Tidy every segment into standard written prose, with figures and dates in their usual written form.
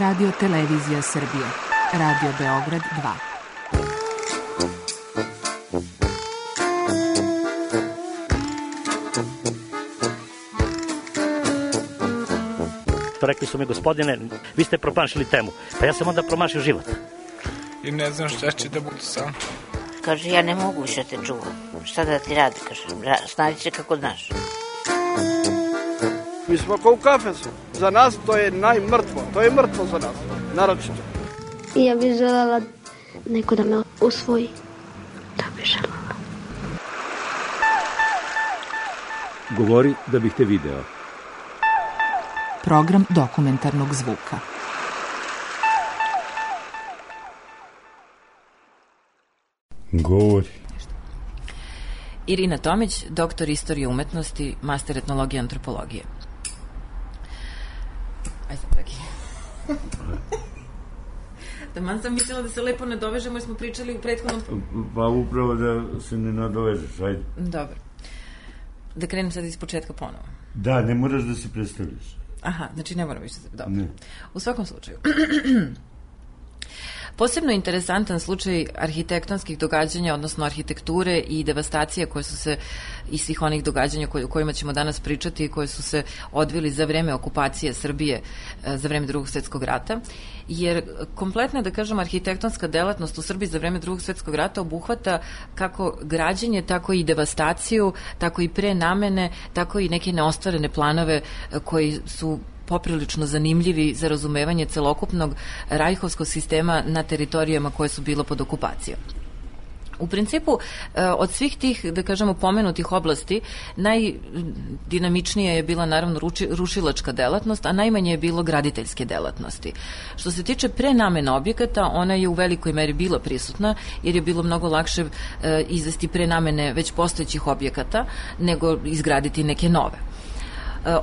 Radio Televizija Srbije. Radio Beograd 2. Rekli su mi, gospodine, vi ste promašili temu. Pa ja sam onda promašio život. I ne znam šta će da bude sam. Kaže, ja ne mogu više te čuvam. Šta da ti radi, kaže, snađi se kako znaš. Mi smo kao u kafesu. Za nas to je najmrtvo. To je mrtvo za nas, naročito. Ja bih želela neko da me usvoji. Da bih želela. Govori da bih te video. Program dokumentarnog zvuka. Govori. Irina Tomić, doktor istorije umetnosti, master etnologije i antropologije. Ajde sam dragi. Taman sam mislila da se lepo nadovežemo jer smo pričali u prethodnom... Pa upravo da se ne nadovežeš, ajde. Dobro. Da krenem sad iz početka ponovo. Da, ne moraš da se predstavljaš. Aha, znači ne moram više se... Dobro. Ne. U svakom slučaju. Posebno interesantan slučaj arhitektonskih događanja, odnosno arhitekture i devastacije koje su se, i svih onih događanja o kojima ćemo danas pričati i koje su se odvili za vreme okupacije Srbije, za vreme Drugog svjetskog rata, jer kompletna, da kažem, arhitektonska delatnost u Srbiji za vreme Drugog svjetskog rata obuhvata kako građenje, tako i devastaciju, tako i prenamene, tako i neke neostvarene planove koji su poprilično zanimljivi za razumevanje celokupnog rajhovskog sistema na teritorijama koje su bilo pod okupacijom. U principu, od svih tih, da kažemo, pomenutih oblasti, najdinamičnija je bila naravno rušilačka delatnost, a najmanje je bilo graditeljske delatnosti. Što se tiče prenamene objekata, ona je u velikoj meri bila prisutna, jer je bilo mnogo lakše izvesti prenamene već postojećih objekata, nego izgraditi neke nove.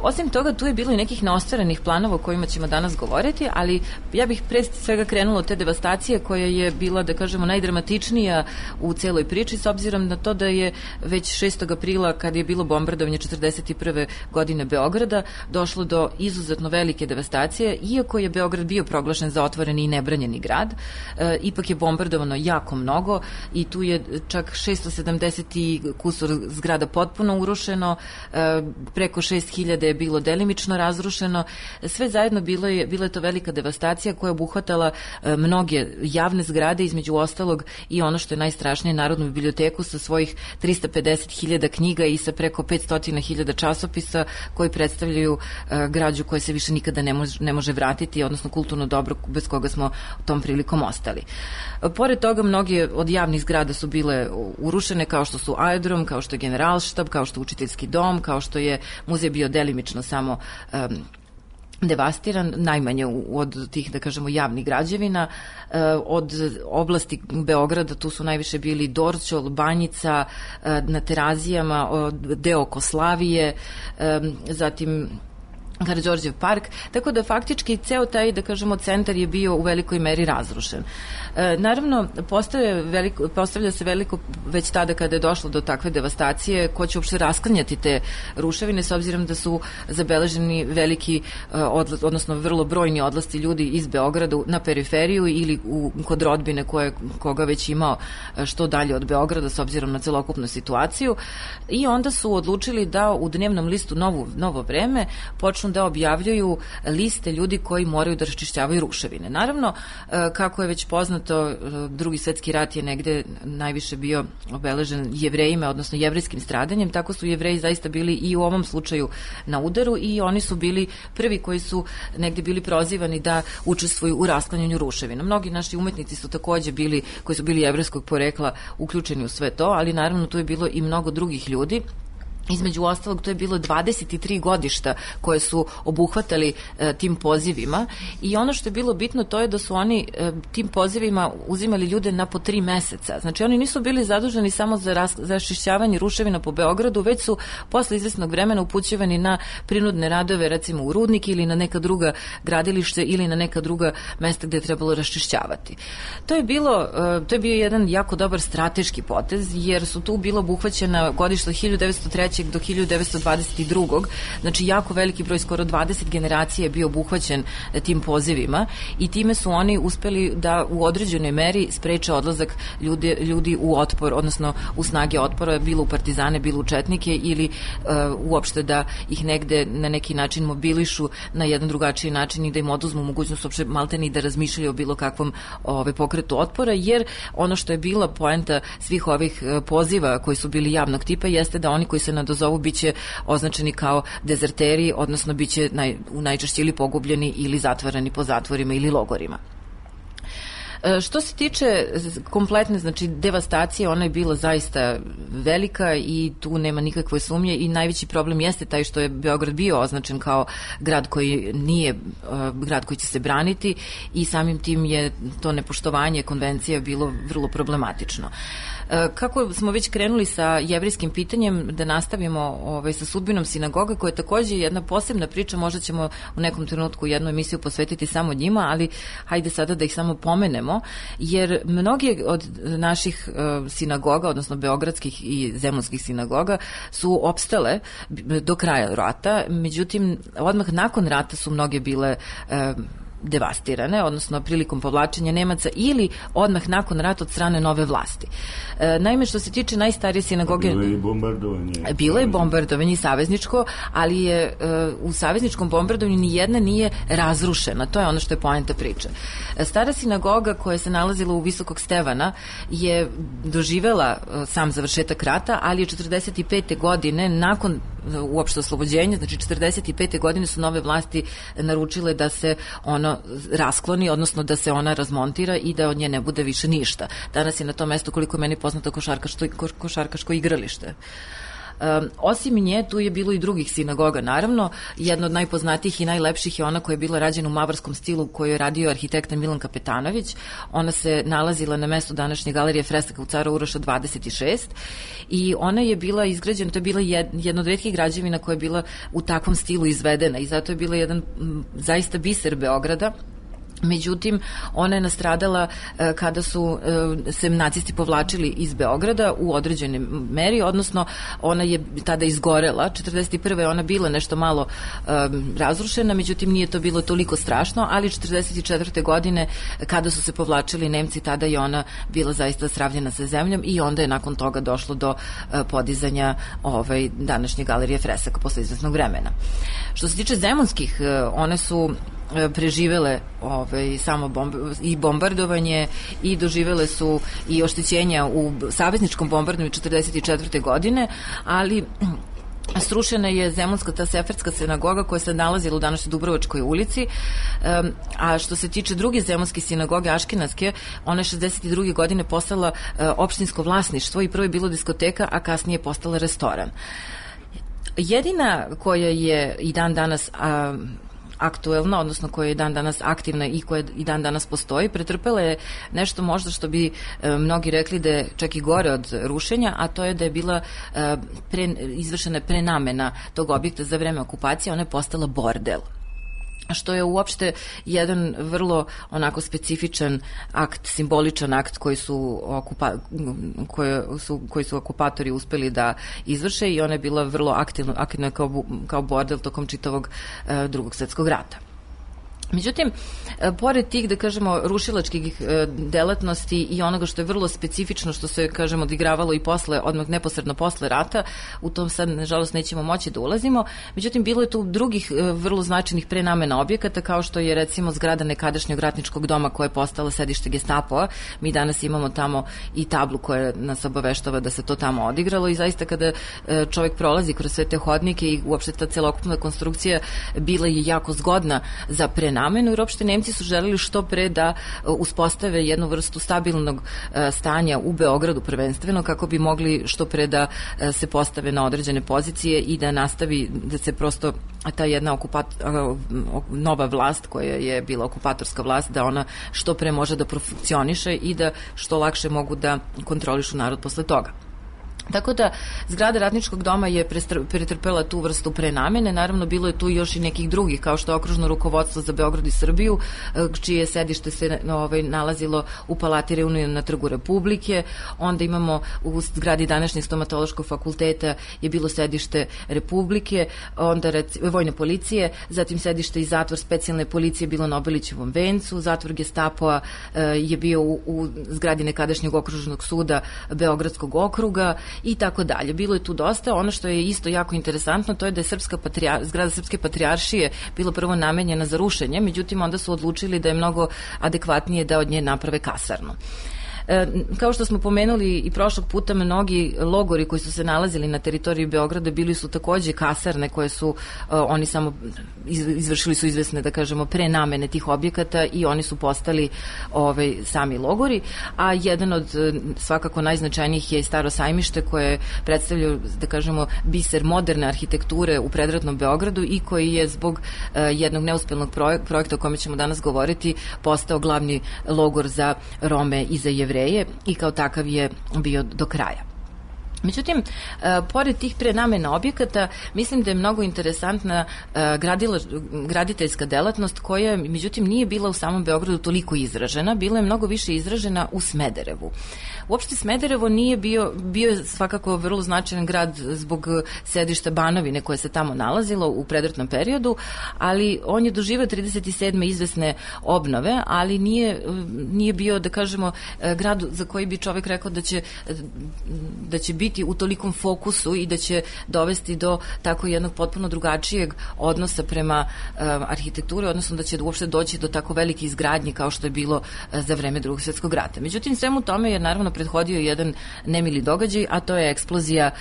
Osim toga, tu je bilo i nekih neostvarenih planova o kojima ćemo danas govoriti, ali ja bih pre svega krenula od te devastacije koja je bila, da kažemo, najdramatičnija u celoj priči, s obzirom na to da je već 6. aprila, kad je bilo bombardovanje 41. godine Beograda, došlo do izuzetno velike devastacije. Iako je Beograd bio proglašen za otvoreni i nebranjeni grad, ipak je bombardovano jako mnogo i tu je čak 670 kusur zgrada potpuno urušeno, preko 6.000 je bilo delimično razrušeno. Sve zajedno bila je to velika devastacija koja je obuhvatala mnoge javne zgrade, između ostalog i ono što je najstrašnije, Narodnu biblioteku sa svojih 350.000 knjiga i sa preko 500.000 časopisa koji predstavljaju građu koja se više nikada ne može vratiti, odnosno kulturno dobro bez koga smo tom prilikom ostali. Pored toga, mnoge od javnih zgrada su bile urušene, kao što su aerodrom, kao što je Generalštab, kao što je učiteljski dom, kao što je muzej bio delimično samo devastiran, najmanje od tih, da kažemo, javnih građevina. Od oblasti Beograda tu su najviše bili Dorćol, Banjica, na Terazijama, deo oko Slavije, zatim Karađorđev park, tako faktički ceo taj, da kažemo, centar je bio u velikoj meri razrušen. Naravno, postavlja se veliko, već tada kada je došlo do takve devastacije, ko će uopšte rasklanjati te ruševine, s obzirom da su zabeleženi veliki, odnosno vrlo brojni odlasci ljudi iz Beograda na periferiju ili kod rodbine koga već imao što dalje od Beograda, s obzirom na celokupnu situaciju, i onda su odlučili da u dnevnom listu Novo vreme počnu da objavljuju liste ljudi koji moraju da raščišćavaju ruševine. Naravno, kako je već poznato, Drugi svetski rat je negde najviše bio obeležen Jevrejima, odnosno jevrijskim stradanjem, tako su Jevreji zaista bili i u ovom slučaju na udaru i oni su bili prvi koji su negde bili prozivani da učestvuju u rasklanjanju ruševina. Mnogi naši umetnici su takođe bili, koji su bili jevrejskog porekla, uključeni u sve to, ali naravno tu je bilo i mnogo drugih ljudi. Između ostalog, to je bilo 23 godišta koje su obuhvatali tim pozivima i ono što je bilo bitno to je da su oni tim pozivima uzimali ljude na po 3 meseca. Znači, oni nisu bili zaduženi samo za raščišćavanje ruševina po Beogradu, već su posle izvesnog vremena upućivani na prinudne radove, recimo u Rudnik ili na neka druga gradilište ili na neka druga mesta gde je trebalo raščišćavati. To je bio jedan jako dobar strateški potez, jer su tu bilo obuhvaćena godišta 1903. 1923. do 1922. Znači jako veliki broj, skoro 20 generacija je bio obuhvaćen tim pozivima i time su oni uspeli da u određenoj meri spreče odlazak ljudi u otpor, odnosno u snage otpora, bilo u partizane, bilo u četnike ili uopšte da ih negde na neki način mobilišu na jedan drugačiji način i da im oduzmu mogućnost uopšte maltene i da razmišljaju o bilo kakvom pokretu otpora, jer ono što je bila poenta svih ovih poziva koji su bili javnog tipa jeste da oni koji se nadozovu biće označeni kao dezerteri, odnosno biće najčešće ili pogubljeni ili zatvarani po zatvorima ili logorima. Što se tiče kompletne, znači, devastacije, ona je bila zaista velika i tu nema nikakve sumnje i najveći problem jeste taj što je Beograd bio označen kao grad koji nije grad koji će se braniti i samim tim je to nepoštovanje konvencija bilo vrlo problematično. Kako smo već krenuli sa jevrejskim pitanjem, da nastavimo sa sudbinom sinagoga, koja je takođe jedna posebna priča, možda ćemo u nekom trenutku jednu emisiju posvetiti samo njima, ali hajde sada da ih samo pomenemo, jer mnogi od naših sinagoga, odnosno beogradskih i zemunskih sinagoga, su opstale do kraja rata, međutim, odmah nakon rata su mnoge bile devastirane, odnosno prilikom povlačenja Nemaca ili odmah nakon rata od strane nove vlasti. Naime, što se tiče najstarije sinagoge... Bilo je i bombardovanje. Bilo je bombardovanje i savezničko, ali je u savezničkom bombardovanju nijedna nije razrušena. To je ono što je poenta priče. Stara sinagoga koja se nalazila u Visokog Stevana je doživela sam završetak rata, ali je 45. godine nakon uopšte oslobođenja, znači 45. godine su nove vlasti naručile da se ono raskloni, odnosno da se ona razmontira i da od nje ne bude više ništa. Danas je na tom mestu, koliko je meni poznato, košarkaško igralište. Osim nje, tu je bilo i drugih sinagoga, naravno. Jedna od najpoznatijih i najlepših je ona koja je bila rađena u mavarskom stilu, koju je radio arhitekta Milan Kapetanović. Ona se nalazila na mestu današnje galerije fresaka u Cara Uroša 26 i ona je bila izgrađena, to je bila jedna od retkih građevina koja je bila u takvom stilu izvedena i zato je bila jedan zaista biser Beograda. Međutim, ona je nastradala kada su se nacisti povlačili iz Beograda u određenoj meri, odnosno ona je tada izgorela. 41. je ona bila nešto malo razrušena, međutim nije to bilo toliko strašno, ali 44. godine kada su se povlačili Nemci, tada je ona bila zaista sravnjena sa zemljom i onda je nakon toga došlo do podizanja današnje galerije fresaka posle izvesnog vremena. Što se tiče zemunskih, one su preživele samo i bombardovanje i doživele su i oštećenja u savezničkom bombardovanju 44. godine, ali srušena je zemunska, ta seferska sinagoga koja se nalazila u današnjoj Dubrovačkoj ulici, a što se tiče druge zemunske sinagoge, Aškenatske, ona je 62. godine postala opštinsko vlasništvo i prvo je bilo diskoteka, a kasnije je postala restoran. Jedina koja je i dan danas aktuelna, odnosno koja je dan danas aktivna i koja i dan danas postoji, pretrpela je nešto možda što bi mnogi rekli da je čak i gore od rušenja, a to je da je bila izvršena prenamena tog objekta za vreme okupacije, ona je postala bordel, što je uopšte jedan vrlo onako specifičan akt, simboličan akt koji su okupatori uspeli da izvrše i ona je bila vrlo aktivna kao bordel tokom čitavog Drugog svetskog rata. Međutim, pored tih, da kažemo, rušilačkih delatnosti i onoga što je vrlo specifično, što se, kažemo, odigravalo i posle, odmah neposredno posle rata, u tom sad, nažalost, nećemo moći da ulazimo, međutim, bilo je tu drugih vrlo značajnih prenamena objekata, kao što je, recimo, zgrada nekadašnjeg ratničkog doma koja je postala sedište Gestapoa. Mi danas imamo tamo i tablu koja nas obaveštava da se to tamo odigralo i zaista kada čovek prolazi kroz sve te hodnike i uopšte ta celokupna konstrukcija bila je jako zgodna za prenamenu, jer uopšte Nemci su želeli što pre da uspostave jednu vrstu stabilnog stanja u Beogradu prvenstveno, kako bi mogli što pre da se postave na određene pozicije i da nastavi da se prosto ta jedna nova vlast koja je bila okupatorska vlast, da ona što pre može da profunkcioniše i da što lakše mogu da kontrolišu narod posle toga. Tako da zgrada Ratničkog doma je pretrpela tu vrstu prenamene. Naravno, bilo je tu još i nekih drugih, kao što je okružno rukovodstvo za Beograd i Srbiju, čije sedište se nalazilo u Palati Reunion na Trgu Republike. Onda imamo u zgradi današnjeg stomatološkog fakulteta je bilo sedište Republike, onda vojne policije, zatim sedište i zatvor specijalne policije bilo na Obilićevom vencu, zatvor Gestapoa je bio u zgradi nekadašnjeg okružnog suda Beogradskog okruga i tako dalje. Bilo je tu dosta. Ono što je isto jako interesantno, to je da je zgrada Srpske patrijaršije bila prvo namenjena za rušenje, međutim onda su odlučili da je mnogo adekvatnije da od nje naprave kasarnu. Kao što smo pomenuli i prošlog puta, mnogi logori koji su se nalazili na teritoriji Beograda bili su takođe kasarne koje su oni samo izvršili su izvesne, da kažemo, prenamene tih objekata i oni su postali sami logori, a jedan od svakako najznačajnijih je i Staro sajmište koje predstavlja, da kažemo, biser moderne arhitekture u predratnom Beogradu i koji je zbog jednog neuspelnog projekta o kome ćemo danas govoriti postao glavni logor za Rome i za Jevreje i kao takav je bio do kraja. Međutim, pored tih prenamena objekata, mislim da je mnogo interesantna graditeljska delatnost koja, međutim, nije bila u samom Beogradu toliko izražena, bila je mnogo više izražena u Smederevu. Uopšte Smederevo nije bio je svakako vrlo značajan grad zbog sedišta Banovine koje se tamo nalazilo u predratnom periodu, ali on je doživio 37. izvesne obnove, ali nije bio, da kažemo, grad za koji bi čovek rekao da će biti u tolikom fokusu i da će dovesti do tako jednog potpuno drugačijeg odnosa prema arhitekturi, odnosno da će uopšte doći do tako velike izgradnje kao što je bilo za vreme Drugog svjetskog rata. Međutim, svemu tome je naravno prethodio jedan nemili događaj, a to je eksplozija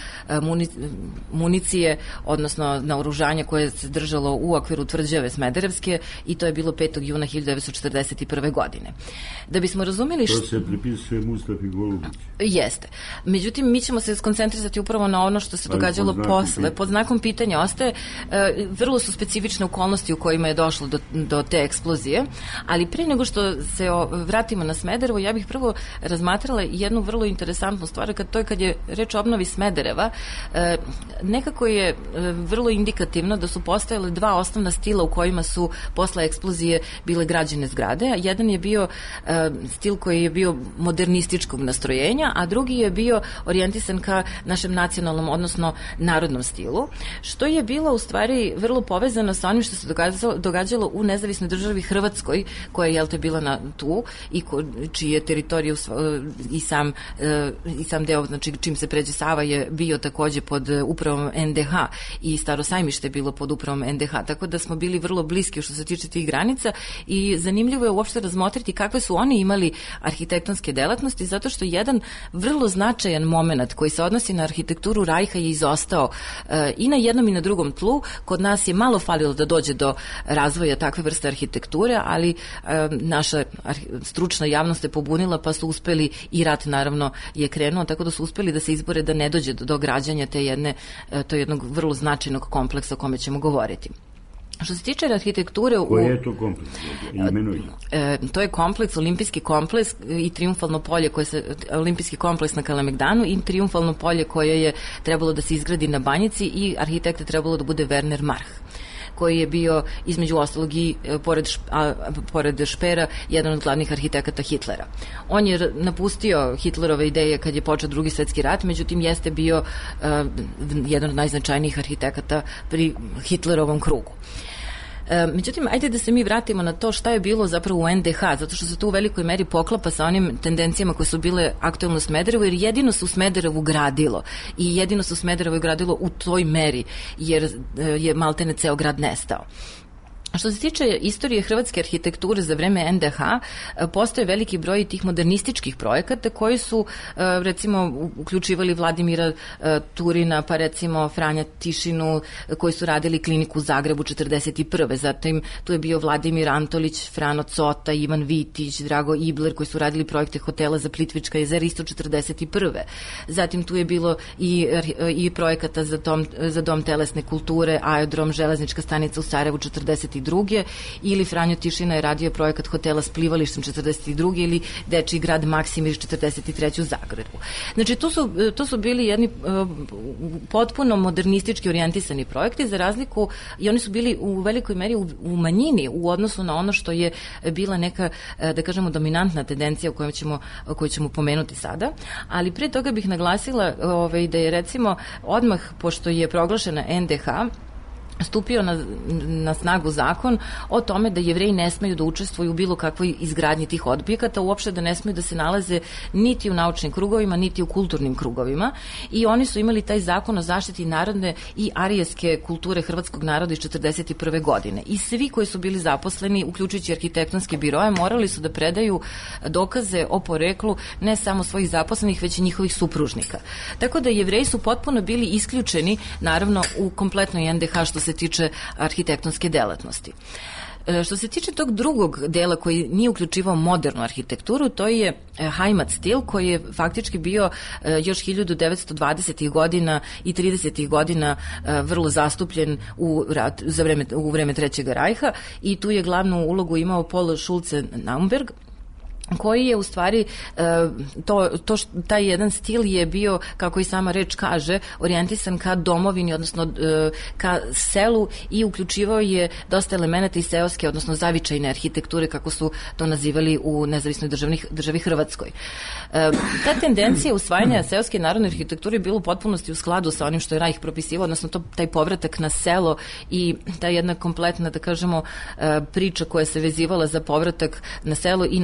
municije, odnosno naoružanja koje se držalo u okviru tvrđave Smederevske i to je bilo 5. juna 1941. godine. Da bismo razumeli To se pripisuje Mustafi Golubić. Jeste. Međutim, mi ćemo se skoncentrisati upravo na ono što se događalo posle. Pod znakom pitanja ostaje, vrlo su specifične okolnosti u kojima je došlo do te eksplozije, ali pre nego što se vratimo na Smederevo, ja bih prvo razmatrala jednu vrlo interesantnu stvar, kad je reč o obnovi Smedereva, nekako je vrlo indikativno da su postojale dva osnovna stila u kojima su posle eksplozije bile građene zgrade, a jedan je bio stil koji je bio modernističkog nastrojenja, a drugi je bio orijentisan ka našem nacionalnom, odnosno narodnom stilu, što je bilo u stvari vrlo povezano sa onim što se događalo u nezavisnoj državi Hrvatskoj, koja je bila tu i čiji je teritoriju i sam deo, znači čim se pređe Sava je bio takođe pod upravom NDH i Staro sajmište je bilo pod upravom NDH, tako da smo bili vrlo bliski što se tiče tih granica i zanimljivo je uopšte razmotriti kakve su oni imali arhitektonske delatnosti, zato što jedan vrlo značajan moment koji se odnosi na arhitekturu Rajha je izostao i na jednom i na drugom tlu. Kod nas je malo falilo da dođe do razvoja takve vrste arhitekture, ali naša stručna javnost je pobunila, pa su uspeli, i rat naravno je krenuo, tako da su uspeli da se izbore da ne dođe do građanja to jednog vrlo značajnog kompleksa o kome ćemo govoriti. Što se tiče arhitekture... Koji je to kompleks? To je kompleks, olimpijski kompleks i triumfalno polje, olimpijski kompleks na Kalemegdanu i triumfalno polje koje je trebalo da se izgradi na Banjici i arhitekta trebalo da bude Werner Marh, koji je bio između ostalog i pored Špera jedan od glavnih arhitekata Hitlera. On je napustio Hitlerove ideje kad je počeo Drugi svetski rat, međutim jeste bio jedan od najznačajnijih arhitekata pri Hitlerovom krugu. Međutim, ajde da se mi vratimo na to šta je bilo zapravo u NDH, zato što se to u velikoj meri poklapa sa onim tendencijama koje su bile aktuelne u Smederevu, jer jedino se u Smederevu gradilo i jedino se u Smederevu gradilo u toj meri, jer je maltene ceo grad nestao. Što se tiče istorije hrvatske arhitekture za vreme NDH, postoje veliki broj tih modernističkih projekata koji su, recimo, uključivali Vladimira Turina, pa recimo Franja Tišinu, koji su radili kliniku u Zagrebu 1941. Zatim tu je bio Vladimir Antolić, Frano Cota, Ivan Vitić, Drago Ibler, koji su radili projekte hotela za Plitvička jezera isto 1941. Zatim tu je bilo i projekata za dom telesne kulture, aerodrom, železnička stanica u Sarajevu 1942. 42. ili Franjo Tišina je radio projekat hotela s plivalištem 42. ili Dečiji grad Maksimir 43. u Zagrebu. Znači, to su bili jedni potpuno modernistički orijentisani projekti, za razliku, i oni su bili u velikoj meri u manjini u odnosu na ono što je bila neka, da kažemo, dominantna tendencija koju ćemo pomenuti sada, ali prije toga bih naglasila da je recimo odmah, pošto je proglašena NDH, stupio na snagu zakon o tome da Jevreji ne smeju da učestvuju u bilo kakvoj izgradnji tih objekata, uopšte da ne smeju da se nalaze niti u naučnim krugovima, niti u kulturnim krugovima, i oni su imali taj zakon o zaštiti narodne i arijevske kulture hrvatskog naroda iz 41. godine. I svi koji su bili zaposleni, uključujući arhitektonske biroje, morali su da predaju dokaze o poreklu ne samo svojih zaposlenih, već i njihovih supružnika. Tako da Jevreji su potpuno bili isključeni, naravno, u kompletnoj NDH što se tiče arhitektonske delatnosti. Što se tiče tog drugog dela koji nije uključivao modernu arhitekturu, to je Heimat stil, koji je faktički bio još 1920. godina i 30. godina vrlo zastupljen u vreme Trećeg rajha, i tu je glavnu ulogu imao Paul Schulze-Naumberg, koji je u stvari taj jedan stil je bio, kako i sama reč kaže, orijentisan ka domovini, odnosno ka selu, i uključivao je dosta elemenata iz seoske, odnosno zavičajne arhitekture, kako su to nazivali u nezavisnoj državi Hrvatskoj. Ta tendencija usvajanja seoske narodne arhitekture je bila u potpunosti u skladu sa onim što je Rajh propisivao, odnosno taj povratak na selo i ta jedna kompletna, da kažemo, priča koja se vezivala za povratak na selo i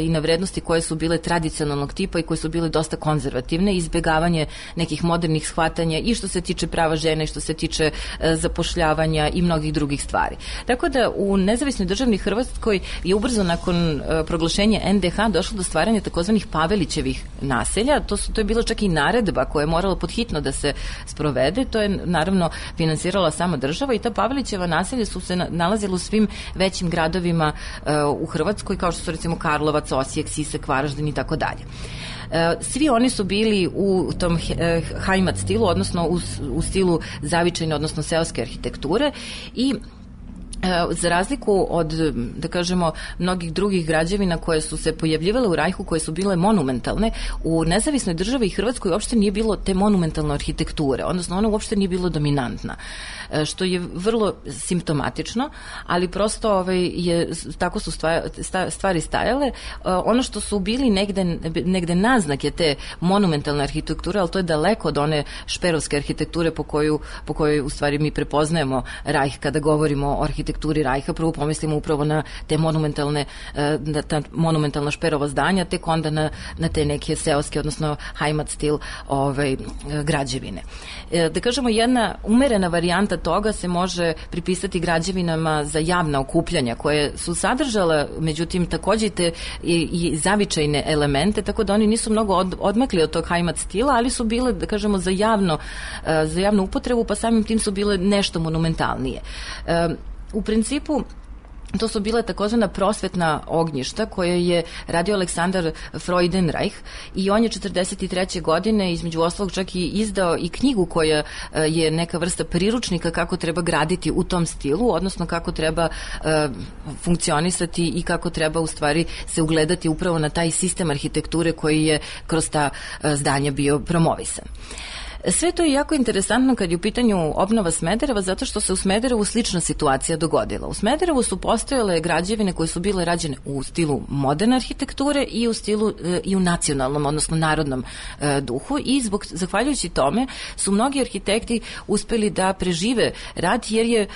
na vrednosti koje su bile tradicionalnog tipa i koje su bile dosta konzervativne, izbegavanje nekih modernih shvatanja i što se tiče prava žene, i što se tiče zapošljavanja i mnogih drugih stvari. Tako da u nezavisnoj državi Hrvatskoj je ubrzo nakon proglašenja NDH došlo do stvaranja takozvanih Pavelićevih naselja. To je bila čak i naredba koja je morala podhitno da se sprovede. To je naravno finansirala sama država, i ta Pavelićeva naselja su se nalazila u svim većim gradovima u Hrvatskoj, kao što su recimo Karlovac, Osijek, Sisak, Varaždin i tako dalje. Svi oni su bili u tom Heimat stilu, odnosno u stilu zavičajne, odnosno seoske arhitekture, i za razliku od, da kažemo, mnogih drugih građevina koje su se pojavljivale u Rajhu, koje su bile monumentalne, u nezavisnoj državi Hrvatskoj uopšte nije bilo te monumentalne arhitekture, odnosno ona uopšte nije bilo dominantna, što je vrlo simptomatično, ali prosto tako su stvari stajale. Ono što su bili negde naznake te monumentalne arhitekture, ali to je daleko od one šperovske arhitekture po kojoj u stvari mi prepoznajemo Rajh kada govorimo o arhitekturi Rajha. Prvo pomislimo upravo na te monumentalna šperova zdanja, tek onda na te neke seoske, odnosno Heimat stil građevine. Da kažemo, jedna umerena varijanta toga se može pripisati građevinama za javna okupljanja, koje su sadržale, međutim, takođe i zavičajne elemente, tako da oni nisu mnogo odmakli od tog Heimat stila, ali su bile, da kažemo, za javnu upotrebu, pa samim tim su bile nešto monumentalnije. U principu, to su bile takozvana prosvetna ognjišta koje je radio Aleksandar Freudenreich, i on je 43. godine između ostalog čak i izdao i knjigu koja je neka vrsta priručnika kako treba graditi u tom stilu, odnosno kako treba funkcionisati i kako treba u stvari se ugledati upravo na taj sistem arhitekture koji je kroz ta zdanja bio promovisan. Sve to je jako interesantno kad je u pitanju obnova Smedereva, zato što se u Smederevu slična situacija dogodila. U Smederevu su postojale građevine koje su bile rađene u stilu moderne arhitekture i u stilu i u nacionalnom, odnosno narodnom duhu, i zahvaljujući tome su mnogi arhitekti uspeli da prežive rad, jer je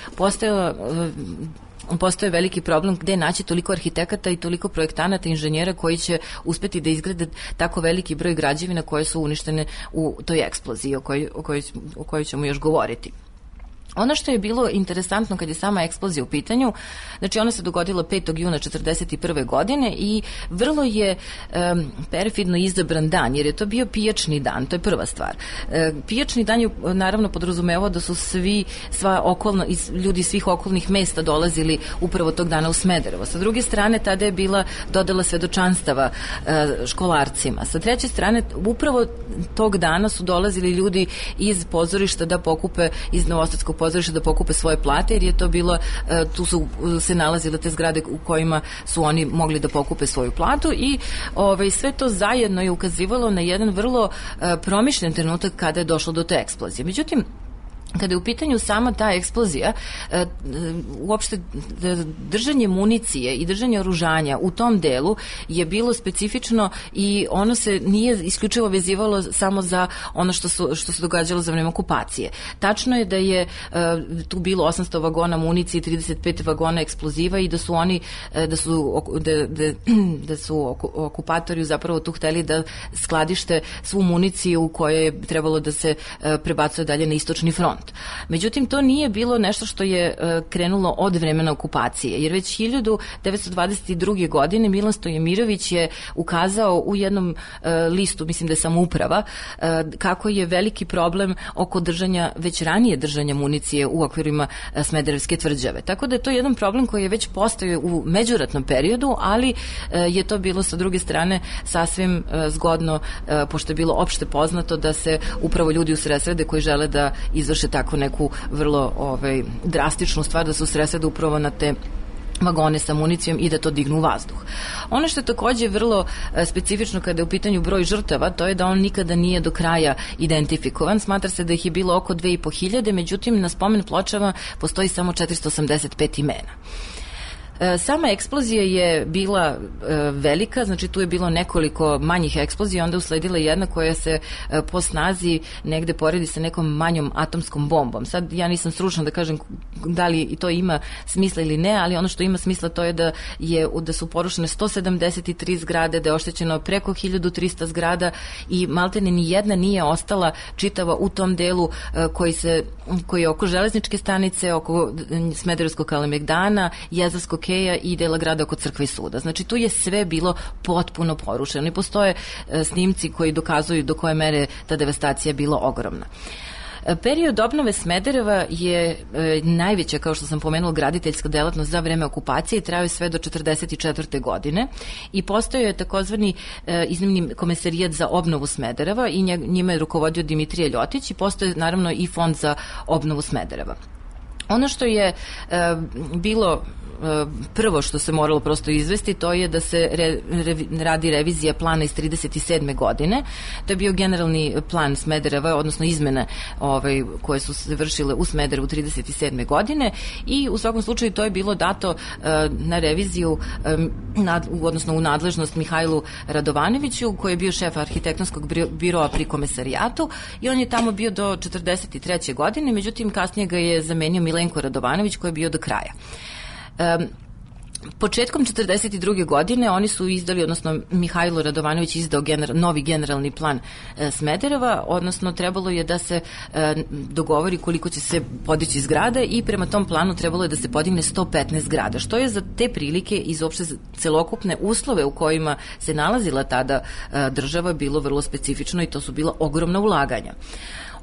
postoje veliki problem gde naći toliko arhitekata i toliko projektanata i inženjera koji će uspeti da izgrade tako veliki broj građevina koje su uništene u toj eksploziji o kojoj ćemo još govoriti. Ono što je bilo interesantno kad je sama eksplozija u pitanju, znači ona se dogodila 5. juna 1941. godine i vrlo je perfidno izabran dan, jer je to bio pijačni dan, to je prva stvar. Pijačni dan je naravno podrazumevao da su ljudi svih okolnih mesta dolazili upravo tog dana u Smederevo. Sa druge strane, tada je bila dodela svedočanstava školarcima. Sa treće strane, upravo tog dana su dolazili ljudi iz pozorišta da pokupe iz Novosadskog pozorišta da pokupe svoje plate, jer je to bilo, tu su se nalazile te zgrade u kojima su oni mogli da pokupe svoju platu i sve to zajedno je ukazivalo na jedan vrlo promišljen trenutak kada je došlo do te eksplozije. Međutim, kada je u pitanju sama ta eksplozija, uopšte držanje municije i držanje oružanja u tom delu je bilo specifično i ono se nije isključivo vezivalo samo za ono što se događalo za vreme okupacije. Tačno je da je tu bilo 800 vagona municije, 35 vagona eksploziva i da su oni, da su okupatori zapravo tu hteli da skladište svu municiju koja je trebalo da se prebacuje dalje na istočni front. Međutim, to nije bilo nešto što je krenulo od vremena okupacije, jer već 1922. godine Milan Stojmirović je ukazao u jednom listu, mislim da je Samouprava, kako je veliki problem oko već ranije držanja municije u okvirima Smederevske tvrđave. Tako da je to jedan problem koji je već postojao u međuratnom periodu, ali je to bilo sa druge strane sasvim zgodno, pošto je bilo opšte poznato da se upravo ljudi usredsrede koji žele da izvrše tako neku vrlo drastičnu stvar, da se usredsrede upravo na te vagone sa municijom i da to dignu u vazduh. Ono što je takođe vrlo specifično kada je u pitanju broj žrtava, to je da on nikada nije do kraja identifikovan. Smatra se da ih je bilo oko 2500, međutim na spomen pločama postoji samo 485 imena. Sama eksplozija je bila velika, znači tu je bilo nekoliko manjih eksplozija, onda usledila jedna koja se po snazi negde poredi sa nekom manjom atomskom bombom. Sad ja nisam stručna da kažem da li to ima smisla ili ne, ali ono što ima smisla to je da su porušene 173 zgrade, da je oštećeno preko 1300 zgrada i maltene ni jedna nije ostala čitava u tom delu koji je oko železničke stanice, oko Smederevskog Kalemegdana, Jezerskog Keja i dela grada oko crkve i suda. Znači tu je sve bilo potpuno porušeno i postoje snimci koji dokazuju do koje mere ta devastacija bila ogromna. Period obnove Smedereva je najveća, kao što sam pomenula, graditeljska delatnost za vreme okupacije i trajao je sve do 1944. godine i postojao je takozvani iznimni komesarijat za obnovu Smedereva i njima je rukovodio Dimitrije Ljotić i postoje naravno i fond za obnovu Smedereva. Ono što je bilo prvo što se moralo prosto izvesti, to je da se radi revizija plana iz 37. godine. To je bio generalni plan Smedereva, odnosno izmene koje su se vršile u Smederevu 37. godine i u svakom slučaju to je bilo dato na reviziju, odnosno u nadležnost Mihajlu Radovanoviću, koji je bio šef arhitektonskog biroa pri komesarijatu i on je tamo bio do 43. godine, međutim kasnije ga je zamenio Milenko Radovanović koji je bio do kraja. Početkom 1942. godine oni su izdali, odnosno Mihajlo Radovanović izdao novi generalni plan Smedereva, odnosno trebalo je da se dogovori koliko će se podići zgrada i prema tom planu trebalo je da se podigne 115 zgrada, što je za te prilike i za uopšte celokupne uslove u kojima se nalazila tada država bilo vrlo specifično i to su bila ogromna ulaganja.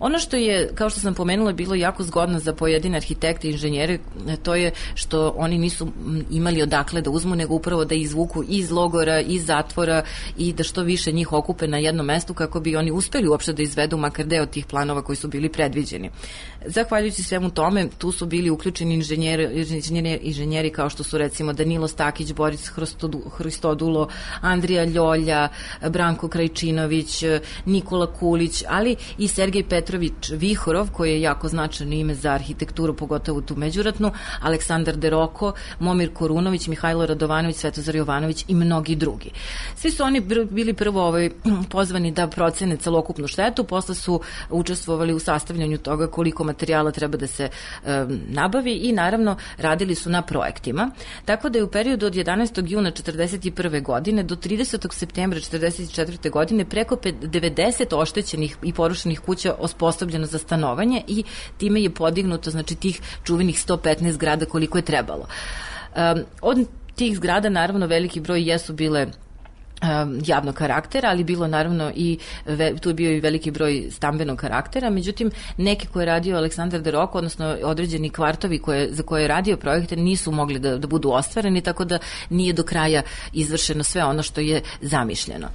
Ono što je, kao što sam pomenula, bilo jako zgodno za pojedine arhitekte i inženjere, to je što oni nisu imali odakle da uzmu, nego upravo da izvuku iz logora, iz zatvora i da što više njih okupe na jednom mestu kako bi oni uspeli uopšte da izvedu makar deo tih planova koji su bili predviđeni. Zahvaljujući svemu tome, tu su bili uključeni inženjeri kao što su recimo Danilo Stakić, Boris Hristodulo, Andrija Ljolja, Branko Krajčinović, Nikola Kulić, ali i Sergej Petrović Vihorov, koji je jako značajno ime za arhitekturu, pogotovo tu međuratnu, Aleksandar Deroko, Momir Korunović, Mihajlo Radovanović, Svetozar Jovanović i mnogi drugi. Svi su oni bili prvo pozvani da procene celokupnu štetu, posle su učestvovali u sastavljanju toga koliko materijala treba da se nabavi i naravno radili su na projektima. Tako da je u periodu od 11. juna 1941. godine do 30. septembra 1944. godine preko 90 oštećenih i porušenih kuća osposobljeno za stanovanje i time je podignuto, znači, tih čuvenih 115 zgrada koliko je trebalo. Od tih zgrada naravno veliki broj jesu bile javnog karaktera, ali bilo naravno i tu je bio i veliki broj stambenog karaktera, međutim neki koje je radio Aleksandar Deroko, odnosno određeni kvartovi za koje je radio projekte nisu mogli da budu ostvareni, tako da nije do kraja izvršeno sve ono što je zamišljeno.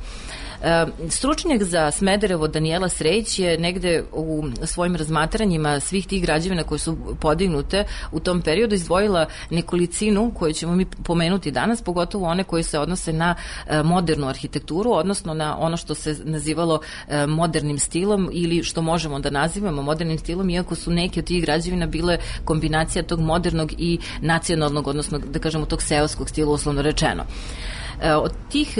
Stručnjak za Smederevo Danijela Srejić je negde u svojim razmatranjima svih tih građevina koje su podignute u tom periodu izdvojila nekolicinu koju ćemo mi pomenuti danas, pogotovo one koje se odnose na modernu arhitekturu, odnosno na ono što se nazivalo modernim stilom ili što možemo da nazivamo modernim stilom, iako su neke od tih građevina bile kombinacija tog modernog i nacionalnog, odnosno da kažemo tog seoskog stila, uslovno rečeno. Od tih,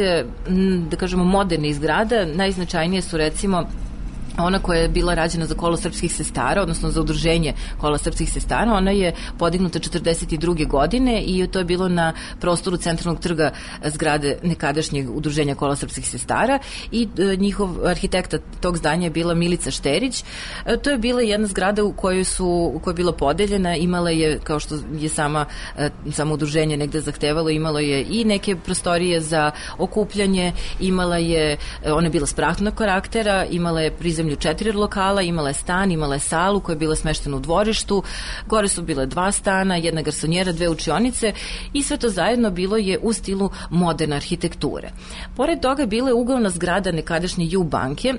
da kažemo, modernih zgrada najznačajnije su recimo ona koja je bila rađena za Kolo srpskih sestara, odnosno za udruženje Kola srpskih sestara. Ona je podignuta 42. godine i to je bilo na prostoru centralnog trga zgrade nekadašnjeg udruženja Kola srpskih sestara i njihov arhitekta tog zdanja je bila Milica Šterić. To je bila jedna zgrada koja je bila podeljena, imala je, kao što je samo udruženje negde zahtevalo, imalo je i neke prostorije za okupljanje, ona je bila sprahnog karaktera, imala je prizemlju 4 lokala, imala je stan, imala je salu koja je bila smeštena u dvorištu, gore su bile 2 stana, 1 garsonjera, 2 učionice i sve to zajedno bilo je u stilu moderne arhitekture. Pored toga bila je uglavna zgrada nekadašnje Ju banke,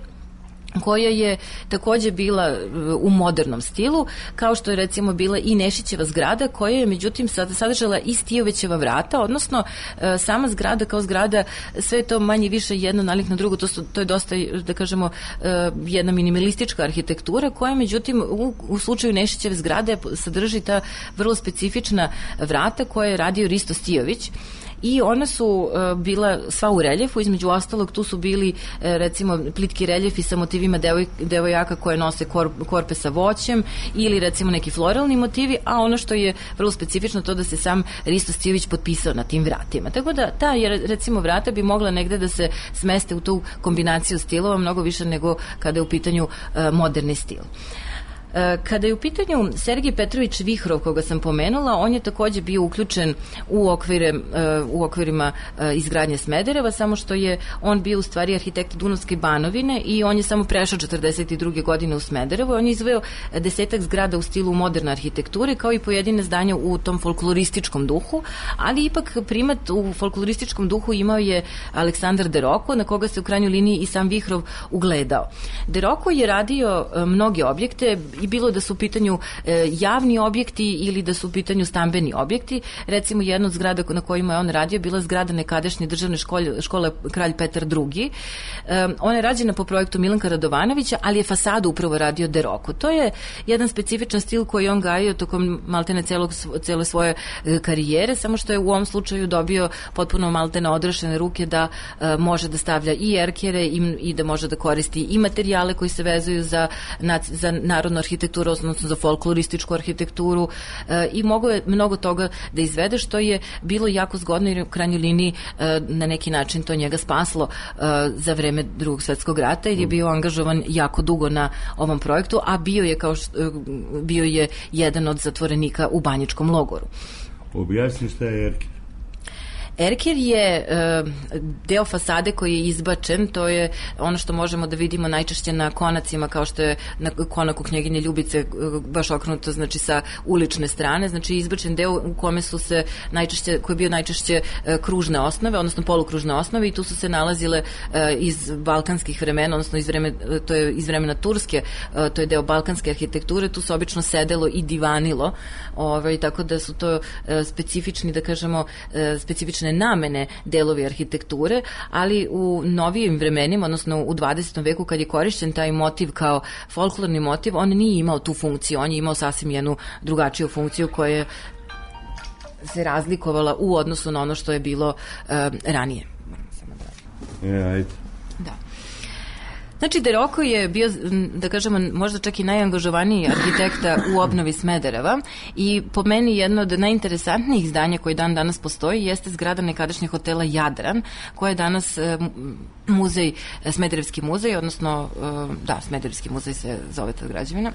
koja je takođe bila u modernom stilu, kao što je recimo bila i Nešićeva zgrada, koja je međutim sadržala i Stijovećeva vrata, odnosno sama zgrada kao zgrada, sve to manje više jedno nalik na drugo, to je dosta, da kažemo, jedna minimalistička arhitektura, koja međutim u slučaju Nešićeve zgrade sadrži ta vrlo specifična vrata koje je radio Risto Stijović. I ona su bila sva u reljefu, između ostalog tu su bili recimo plitki reljefi sa motivima devojaka koje nose korpe sa voćem ili recimo neki floralni motivi, a ono što je vrlo specifično to da se sam Risto Stijović potpisao na tim vratima. Tako da ta recimo vrata bi mogla negde da se smeste u tu kombinaciju stilova mnogo više nego kada je u pitanju moderni stil. Kada je u pitanju Sergij Petrović Vihrov, koga sam pomenula, on je takođe bio uključen u okvirima izgradnje Smedereva, samo što je on bio u stvari arhitekt Dunavske Banovine i on je samo prešao 42. godine u Smederevo. On je izveo 10 zgrada u stilu moderne arhitekture, kao i pojedine zdanja u tom folklorističkom duhu, ali ipak primat u folklorističkom duhu imao je Aleksandar Deroko, na koga se u krajnjoj liniji i sam Vihrov ugledao. Deroko je radio mnoge objekte, i bilo da su u pitanju javni objekti ili da su u pitanju stambeni objekti. Recimo, jedna od zgrada na kojima je on radio bila zgrada nekadašnje državne škole Kralj Petar II. Ona je rađena po projektu Milanka Radovanovića, ali je fasadu upravo radio Deroko. To je jedan specifičan stil koji on gajio tokom maltene cele svoje karijere, samo što je u ovom slučaju dobio potpuno maltene odrešene ruke da može da stavlja i erkere i da može da koristi i materijale koji se vezuju za narodnu arhitekturu, odnosno za folklorističku arhitектuru i mogo je mnogo toga da izvede, što je bilo jako zgodno jer u krajnjoj liniji na neki način to njega spaslo za vreme Drugog svetskog rata jer je bio angažovan jako dugo na ovom projektu, a bio je jedan od zatvorenika u Banjičkom logoru. Objasni šta je erker. Erker je deo fasade koji je izbačen, to je ono što možemo da vidimo najčešće na konacima, kao što je na konaku Knjeginje Ljubice, baš okrenuto, znači sa ulične strane, znači izbačen deo u kome su se najčešće, koji je bio najčešće kružne osnove, odnosno polukružne osnove, i tu su se nalazile iz balkanskih vremena, odnosno to je iz vremena Turske, to je deo balkanske arhitekture, tu se obično sedelo i divanilo, tako da su to specifični, da kažemo, specifične namene delovi arhitekture, ali u novijim vremenima, odnosno u 20. veku kad je korišćen taj motiv kao folklorni motiv, on nije imao tu funkciju, on je imao sasvim jednu drugačiju funkciju koja se razlikovala u odnosu na ono što je bilo ranije. Ajde. Da. Znači, Deroko je bio, da kažemo, možda čak i najangažovaniji arhitekta u obnovi Smedereva i po meni jedno od najinteresantnijih zdanja koji dan danas postoji jeste zgrada nekadašnjeg hotela Jadran, koja je danas muzej, Smederevski muzej, odnosno, Smederevski muzej se zove ta građevina.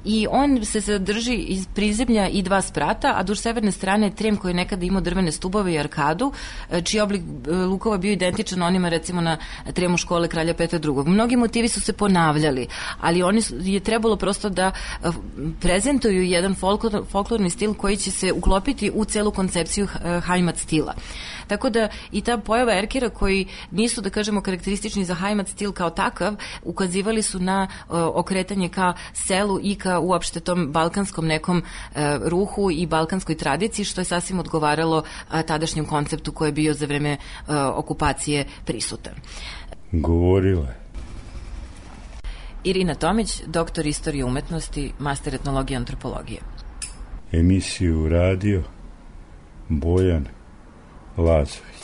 I on se sadrži iz prizemlja i 2 sprata, a duž severne strane je trem koji je nekada imao drvene stubove i arkadu, čiji oblik lukova bio identičan onima recimo na tremu škole Kralja Petra II. Mnogi motivi su se ponavljali, ali je trebalo prosto da prezentuju jedan folklorni stil koji će se uklopiti u celu koncepciju Heimat stila. Tako da i ta pojava erkera koji nisu, da kažemo, karakteristični za Heimat stil kao takav, ukazivali su na okretanje ka selu i ka uopšte tom balkanskom nekom ruhu i balkanskoj tradiciji, što je sasvim odgovaralo tadašnjem konceptu koji je bio za vreme okupacije prisutan. Govorila. Irina Tomić, doktor istorije umetnosti, master etnologije i antropologije. Emisiju radio Bojan Lazović.